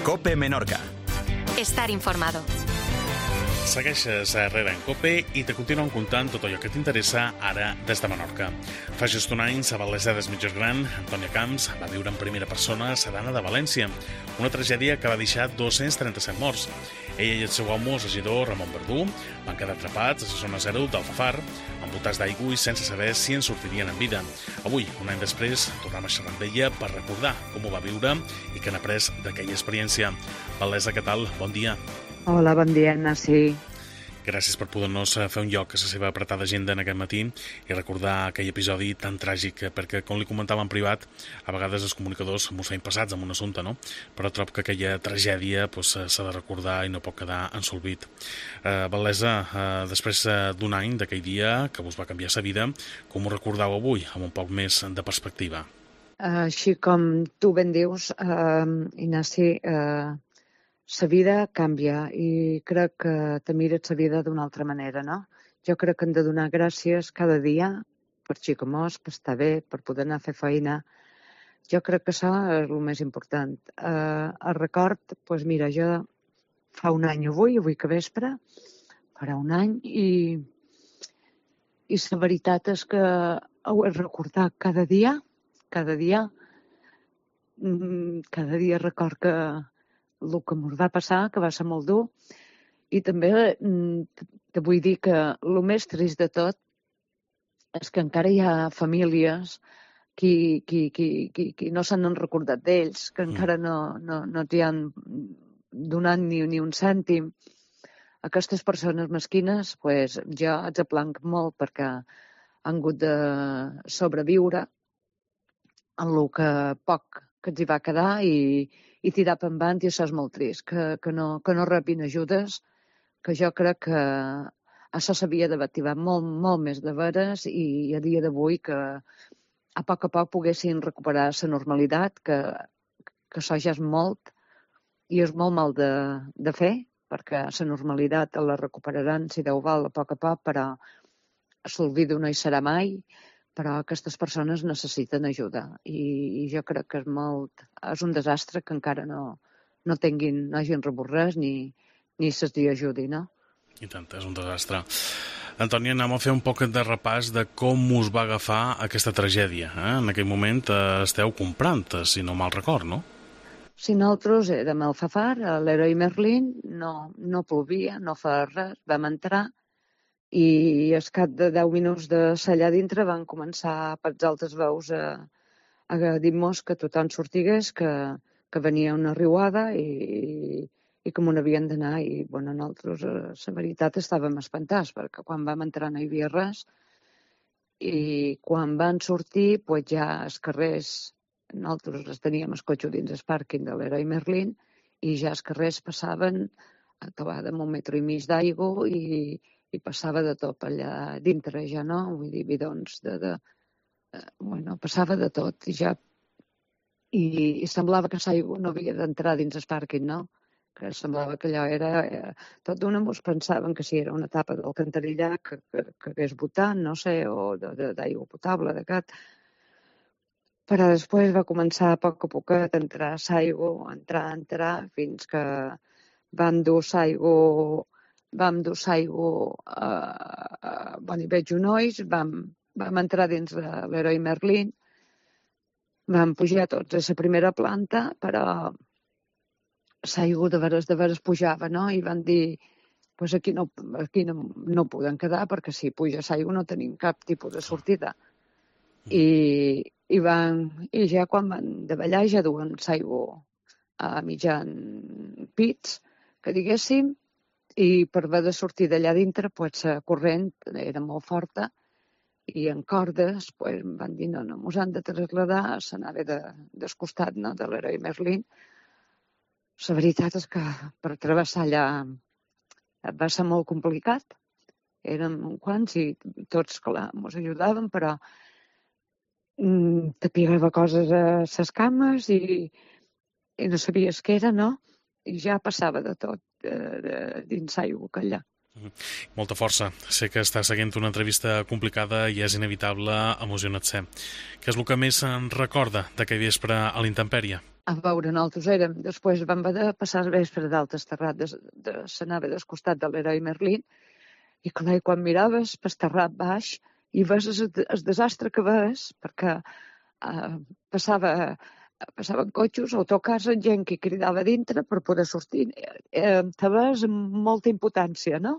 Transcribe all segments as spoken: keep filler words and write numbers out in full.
COPE Menorca. Estar informado. Segueixes a Herrera en COPE i te continuen contant tot allò que t'interessa ara des de Menorca. Fa just un any, a Valesa des Mitjós Gran, Antònia Camps va viure en primera persona a Sedana de València, una tragèdia que va deixar dos-cents trenta-set morts. Ella i el seu home, el regidor Ramon Verdú, van quedar atrapats a la zona zero d'Alfafar, envoltats d'aigua i sense saber si en sortirien en vida. Avui, un any després, tornem a xerrar amb ella per recordar com ho va viure i què n'ha après d'aquella experiència. Valesa, què tal? Bon dia. Hola, bon dia, Nancy. Gràcies per poder-nos fer un lloc a la seva apretada agenda en aquest matí i recordar aquell episodi tan tràgic, perquè, com li comentava en privat, a vegades els comunicadors mos feim passats amb un assumpte, no? Però trobo que aquella tragèdia pues, s'ha de recordar i no pot quedar ensolvit. Uh, Valesa, uh, després uh, d'un any d'aquell dia que vos va canviar la vida, com ho recordeu avui, amb un poc més de perspectiva? Uh, així com tu ben dius, uh, Ignasi, uh, la vida canvia i crec que te mires la vida d'una altra manera, no? Jo crec que hem de donar gràcies cada dia per xicomós, per estar bé, per poder anar a fer feina. Jo crec que això és el més important. Uh, el record, doncs mira, jo fa un any avui, avui que vespre, farà un any, i, i la veritat és que ho he recordat cada dia, cada dia, cada dia record que el que ens va passar, que va ser molt dur, i també te vull dir que el més trist de tot és que encara hi ha famílies qui, qui, qui, qui, qui no s'han recordat d'ells, que encara no, no, no t'hi han donat ni, ni un cèntim. Aquestes persones mesquines, pues, jo els aplanc molt perquè han hagut de sobreviure en el que poc que els hi va quedar i i tirar per endavant, i això és molt trist, que, que, no, que no rebin ajudes, que jo crec que això s'havia d'activar molt, molt més de veres i a dia d'avui que a poc a poc poguessin recuperar la normalitat, que, que això ja és molt i és molt mal de, de fer, perquè la normalitat la recuperaran, si Déu vol, a poc a poc, però l'olvido no hi serà mai. Però aquestes persones necessiten ajuda i, i jo crec que és molt, és un desastre que encara no, no tinguin, no hagin rebut res ni, ni se'ls hi ajudi, no? I tant, és un desastre. Antònia, anem a fer un poc de repàs de com us va agafar aquesta tragèdia. Eh? En aquell moment eh, esteu comprant, si no mal record, no? Si nosaltres érem al Alfafar, a l'Heroi Merlin, no, no plovia, no fa res, vam entrar, i al cap de deu minuts de ser allà dintre van començar per els altres veus a, a dir-nos que tothom sortigués, que, que venia una riuada i, i que m'on havien d'anar. I bueno, nosaltres, la veritat, estàvem espantats perquè quan vam entrar no hi havia res i quan van sortir pues ja els carrers, nosaltres els teníem el cotxe dins el pàrquing de l'Heroi Merlin i ja els carrers passaven a tobar de un metre i mig d'aigua i i passava de tot allà dintre ja, no? Vull dir, bidons de... de eh, bueno, passava de tot i ja... I, i semblava que l'aigua no havia d'entrar dins el pàrquing, no? Que semblava que allò era... Eh, tot d'una mos pensaven que si era una tapa d'alcantarillà que, que, que hagués botat, no sé, o d'aigua potable, de cat. Però després va començar a poc a poc a entrar l'aigua, entrar, entrar, fins que van dur l'aigua... Vam dur l'aigua a, a Boniveig Unolls, vam, vam entrar dins de l'Heroi Merlin, vam pujar tots a la primera planta, però l'aigua de veres, de veres pujava, no? I van dir, pues aquí no, aquí no, no podem quedar perquè si puja l'aigua no tenim cap tipus de sortida. I, i, van, i ja quan van davallar ja duen l'aigua a mitjan pits, que diguéssim, i per haver de sortir d'allà dintre, pues, la corrent era molt forta i en cordes pues, van dir no, no, mos han de traslladar, s'anava de, del costat, no, de l'Heroi Merlin. La veritat és que per travessar allà va ser molt complicat. Érem quants i tots, clar, mos ajudaven, però mm, te pegava coses a les cames i, i no sabies què era, no? I ja passava de tot de, de, dins l'aigua allà. Molta força. Sé que està seguint una entrevista complicada i és inevitable emocionar-se. Què és el que més en recorda d'aquell vespre a l'intempèrie? a veure, nosaltres érem, després vam haver de passar el vespre d'Altes Terrat, de, de, s'anava del costat de l'heroi Merlín, i clar, quan miraves per Terrat baix i ves el, el desastre que ves, perquè eh, passava, passaven cotxes, autocars, gent que cridava dintre per poder sortir. Eh, te ves amb molta impotència, no?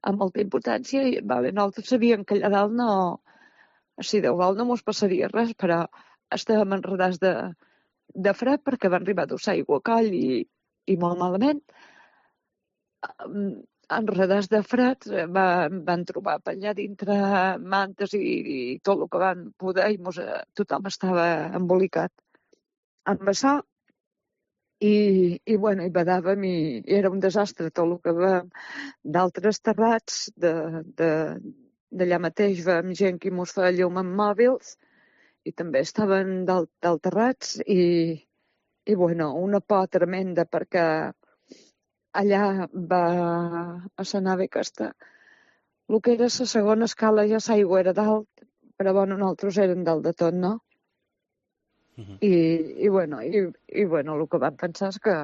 Amb molta impotència, i vale, nosaltres sabíem que allà dalt no, si Déu vol no mos passaria res, però estàvem enredats de de fred perquè van arribar a aigua a coll i, i molt malament. Enredats de fred van, van trobar per allà dintre mantes i, i tot el que van poder i mos, tothom estava embolicat amb això i, i, bueno, i badàvem i, i era un desastre tot el que vam d'altres terrats de, de, d'allà mateix vam gent que mos feia llum amb mòbils i també estaven dalt, dalt terrats i, i, bueno, una por tremenda perquè allà va a la nave aquesta. El que era la segona escala ja l'aigua era dalt, però bueno, nosaltres érem dalt de tot, no? Uh-huh. I, i, bueno, i, i bueno, el que vam pensar és que,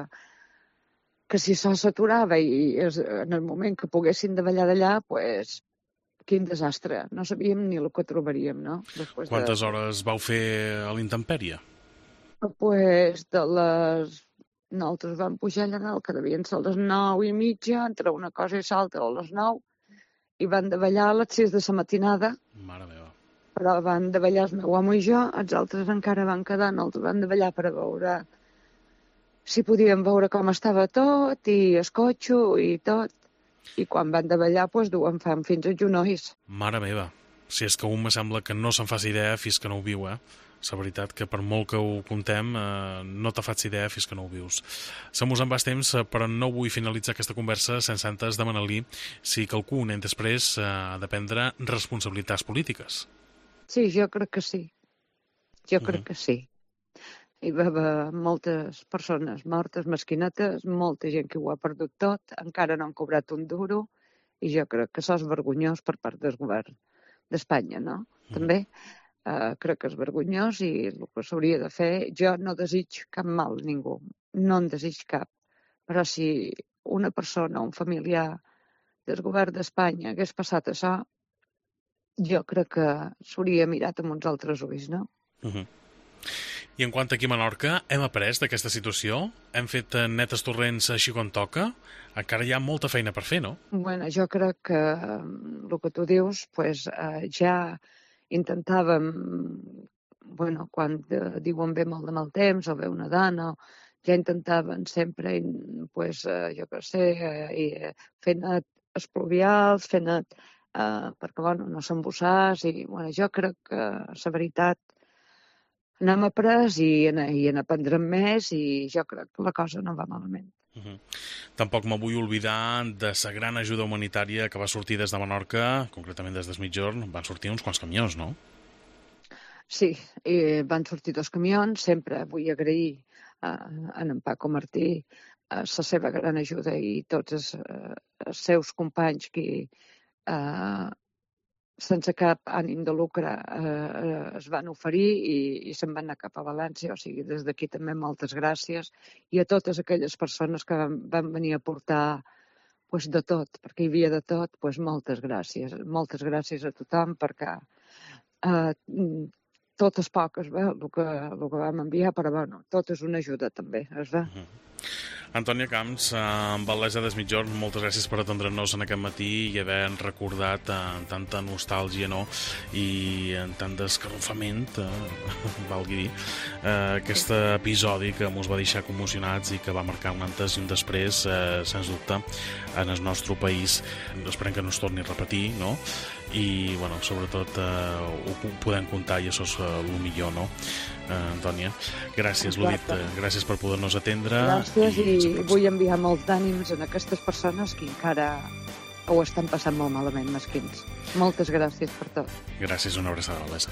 que si això s'aturava i es, en el moment que poguessin davallar d'allà, pues, quin desastre. No sabíem ni el que trobaríem, no? Després Quantes de... hores vau fer a l'intempèrie? Pues de les... Nosaltres vam pujar allà dalt, que devien ser a les nou i mitja, entre una cosa i l'altra a les nou, i van davallar a les sis de la matinada. Mare meva. Però van davallar el meu home i jo, els altres encara van quedar, nosaltres van davallar per a veure si podíem veure com estava tot, i el cotxe i tot. I quan van davallar, doncs, duen fam fins als genolls. Mare meva, si és que un me sembla que no se'n faci idea fins que no ho viu, eh? La veritat que per molt que ho contem, eh, no te faig idea fins que no ho vius. Se mos en va temps, però no vull finalitzar aquesta conversa sense antes demanar-li si qualcú un any després eh, ha de prendre responsabilitats polítiques. Sí, jo crec que sí. Jo Uh-huh. crec que sí. Hi va haver moltes persones mortes, mesquinetes, molta gent que ho ha perdut tot, encara no han cobrat un duro, i jo crec que això és vergonyós per part del govern d'Espanya, no? Mm. També uh, crec que és vergonyós i el que s'hauria de fer, jo no desig cap mal a ningú, no en desig cap, però si una persona, un familiar del govern d'Espanya hagués passat això, jo crec que s'hauria mirat amb uns altres ulls, no? Uh-huh. I en quant aquí a Menorca, hem après d'aquesta situació? Hem fet netes torrents així com toca? Encara hi ha molta feina per fer, no? Bueno, jo crec que el que tu dius, pues, eh, ja intentàvem, bueno, quan eh, diuen ve molt de mal temps o ve una dona, ja intentaven sempre, pues, eh, jo què sé, eh, fer net espluvials, fer net, eh, perquè, bueno, no s'embossàs, i, bueno, jo crec que la veritat n'hem après i, i n'aprendrem més i jo crec que la cosa no va malament. Uh-huh. Tampoc me vull oblidar de la gran ajuda humanitària que va sortir des de Menorca, concretament des del Migjorn. Van sortir uns quants camions, no? Sí, i van sortir dos camions. Sempre vull agrair a, a en Paco Martí a la seva gran ajuda i tots els, els seus companys que eh, sense cap ànim de lucre eh, es van oferir i, i se'n van anar cap a València. O sigui, des d'aquí també moltes gràcies. I a totes aquelles persones que van, van venir a portar pues, de tot, perquè hi havia de tot, pues, moltes gràcies. Moltes gràcies a tothom perquè eh, tot és poc, es veu, el que, el que vam enviar, però bueno, tot és una ajuda també, es veu. Uh-huh. Antònia Camps, amb Val·lesa des Migjorn, moltes gràcies per atendre'ns en aquest matí i haver recordat eh, tanta nostàlgia, no? I en tant d'escarrufament, eh, valgui dir, eh, aquest episodi que ens va deixar commocionats i que va marcar un antes i un després, eh, sens dubte, en el nostre país. Esperem que no es torni a repetir, no? I, bueno, sobretot eh, ho podem comptar i això és eh, el millor, no? Eh, Antònia, gràcies, l'ho dit, eh, gràcies per poder-nos atendre. Gràcies i, i vull enviar molts d'ànims a aquestes persones que encara ho estan passant molt malament, mesquins. Moltes gràcies per tot. Gràcies, una abraçada, Val·lesa.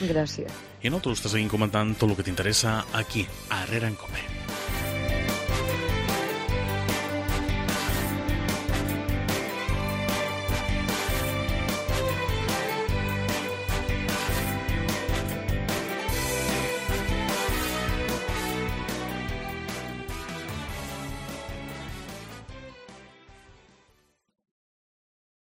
Gràcies. I nosaltres te seguim comentant tot el que t'interessa aquí, a Herrera en Cope.